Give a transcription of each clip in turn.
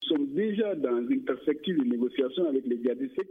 Sommes déjà dans une perspective de négociation avec les djihadistes.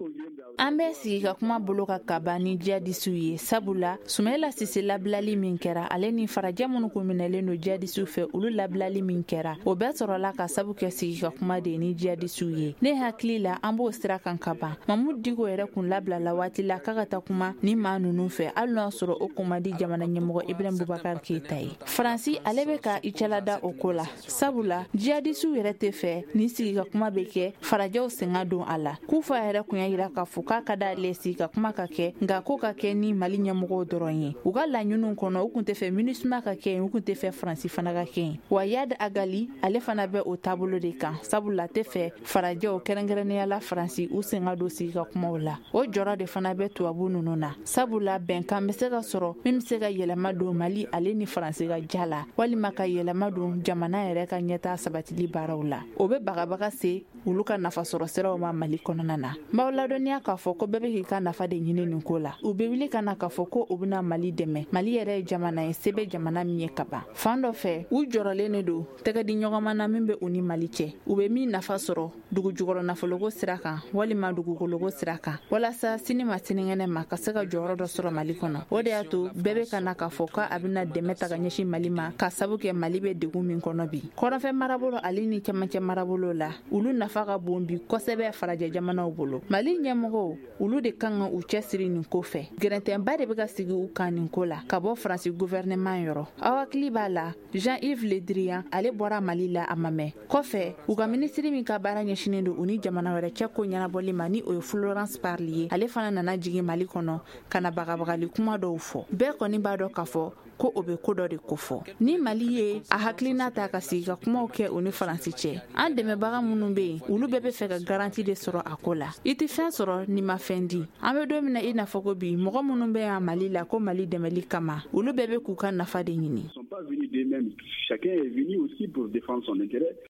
An bɛ sigi ka kuma bolo ka kaban ni jihadisiw ye, sabula Sumayila Sise labilali min kɛra, ale ni farajɛ minnu kun minɛlen don jihadisiw fɛ, olu labilali min kɛra, o bɛɛ sɔrɔla ka sabu kɛ sigi ka kuma de ni jihadisiw ye. Ne hakili la, an b'o sira kan ka ban. Mamudu Diko yɛrɛ kun labilala waati la k'a ka taa kuma ni maa ninnu fɛ, hali n'o y'a sɔrɔ o kun man di jamana ɲɛmɔgɔ Ibrahim Bubakar Keyita ye. Faransi ale bɛ ka i cɛlada o ko la, sabula jihadisiw yɛrɛ tɛ fɛ ni sigi ka kuma bɛ kɛ farajɛw sen ka don a la. Kufa yɛrɛ kun y'a yira k'a fɔ k'a ka d'ale sigi ka kuma ka kɛ, nka ko ka kɛ ni Mali ɲɛmɔgɔw dɔrɔn ye. U ka laɲiniw kɔnɔ, u kun tɛ fɛ MINUSMA ka kɛ yen, u kun tɛ fɛ Faransi fana ka kɛ yen. Wa Iyad Ag Ghali ale fana bɛ o taabolo de kan, sabula tɛ fɛ farajɛw, kɛrɛnkɛrɛnnenya la Faransi, u sen ka don sigi ka kumaw la. O jɔrɔ de fana bɛ tubabu ninnu na, sabula bɛnkan bɛ se ka sɔrɔ min bɛ se ka yɛlɛma don Mali ale ni Faransi ka ja la, walima ka yɛlɛma don jamana yɛrɛ ka ɲɛtaa sabatili baaraw la. O bɛ bagabaga se olu ka nafasɔrɔ siraw ma Mali kɔnɔna na. N b'aw ladɔnniya k'a fɔ ko bɛɛ bɛ k'i ka nafa de ɲini nin ko la. U bɛ wuli ka na k'a fɔ ko u bɛna Mali dɛmɛ. Mali yɛrɛ ye jamana ye, se bɛ jamana min ye ka ban. Fan dɔ fɛ, u jɔrɔlen de don tɛgɛ di ɲɔgɔnma na min bɛ u ni Mali cɛ, u bɛ min nafa sɔrɔ dugu jukɔrɔ nafoloko sira kan walima dugukoloko sira kan, walasa sini ma sinikɛnɛ ma ka se ka jɔyɔrɔ dɔ sɔrɔ Mali kɔnɔ. O de y'a to bɛɛ bɛ ka na k'a fɔ k'a bɛna dɛmɛ ta ka ɲɛsin Mali ma, ka sabu kɛ Mali bɛ degun min kɔnɔ bi. Kɔrɔnfɛ marabolo ale ni cɛmancɛ marabolo la, olu nafa ka bon bi kosɛbɛ farajɛ jamanaw bolo. Mali ɲɛmɔgɔw, olu de kan ka u cɛsiri nin ko fɛ. Gɛrɛntɛnba de bɛ ka sigi u kan nin ko la ka bɔ Faransi gouvernement yɔrɔ. Aw hakili b'a la, Jean-Yves Le Drian ale bɔra Mali la a ma mɛn. Kɔfɛ, u ka minisiri min ka baara ɲɛsinnen don u ni jamana wɛrɛ cɛ ko ɲɛnabɔli ma, ni o ye Florence Parly ye, ale fana nana jigin Mali kɔnɔ ka na bagabagali kuma dɔw fɔ. Bɛɛ kɔni b'a dɔn k'a fɔ ko o bɛ ko dɔ de kofɔ. Ni Mali ye a hakilina ta ka sigi ka kumaw kɛ u ni Faransi cɛ, an dɛmɛbaga minnu bɛ yen, olu bɛɛ bɛ fɛ ka garantie de sɔrɔ a ko la. I tɛ fɛn sɔrɔ n'i ma fɛn di. An bɛ don min na i n'a fɔ ko bi, mɔgɔ minnu bɛ yan Mali la ko Mali dɛmɛli kama, olu bɛɛ bɛ k'u ka nafa de ɲini. Chacun est venu aussi pour défendre son intérêt.